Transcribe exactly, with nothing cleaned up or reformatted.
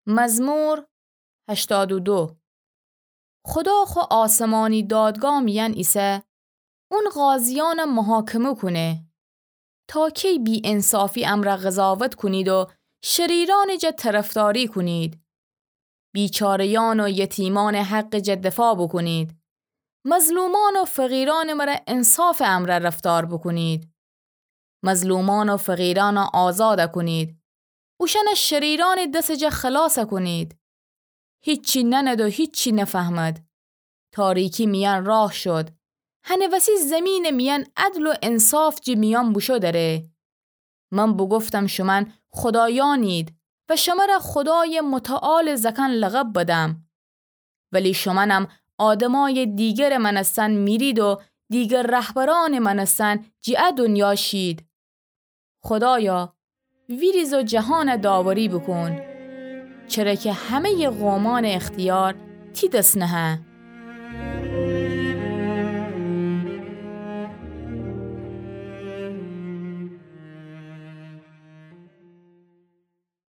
مزمور هشتاد و دو. خودا خو آسمانی دادگاه میأن ایسه، اون قاضیأن محاکمه کونه. تا کی بی‌انصافی امرأ قضاوت کونید و شریرأنٚ جا طرفداری کونید؟ بیچاره‌یأن و یتیمأنٚ حقٚ جا دفاع بوکونید. مظلومأن و فقیرأنٚ مره انصافٚ امرأ رفتار بوکونید. مظلومأن و فقیرأن آزاد کونید. اوشأن شریرأنٚ دسٚ جا خلاص کونید. هیچی نأند و هیچی نفهمد. تاریکی میأن راه شد. هنٚ وسی زیمینٚ میأن عدل و انصاف جٚه میأن بوشو دره. من بوگفتم شومأن خودایأنید و شمره خودایٚ متعالٚ زأکأن لقب بدم. ولی شومأنم آدمأیٚ دیگرٚ مأنستن میرید و دیگر رهبرأنٚ مأنستن جٚه ا دونیا شید. خودایا، ویریز و جهان داوری بوکون، چره کی همه‌یٚ قومأنٚ اختیار تی دس نهه.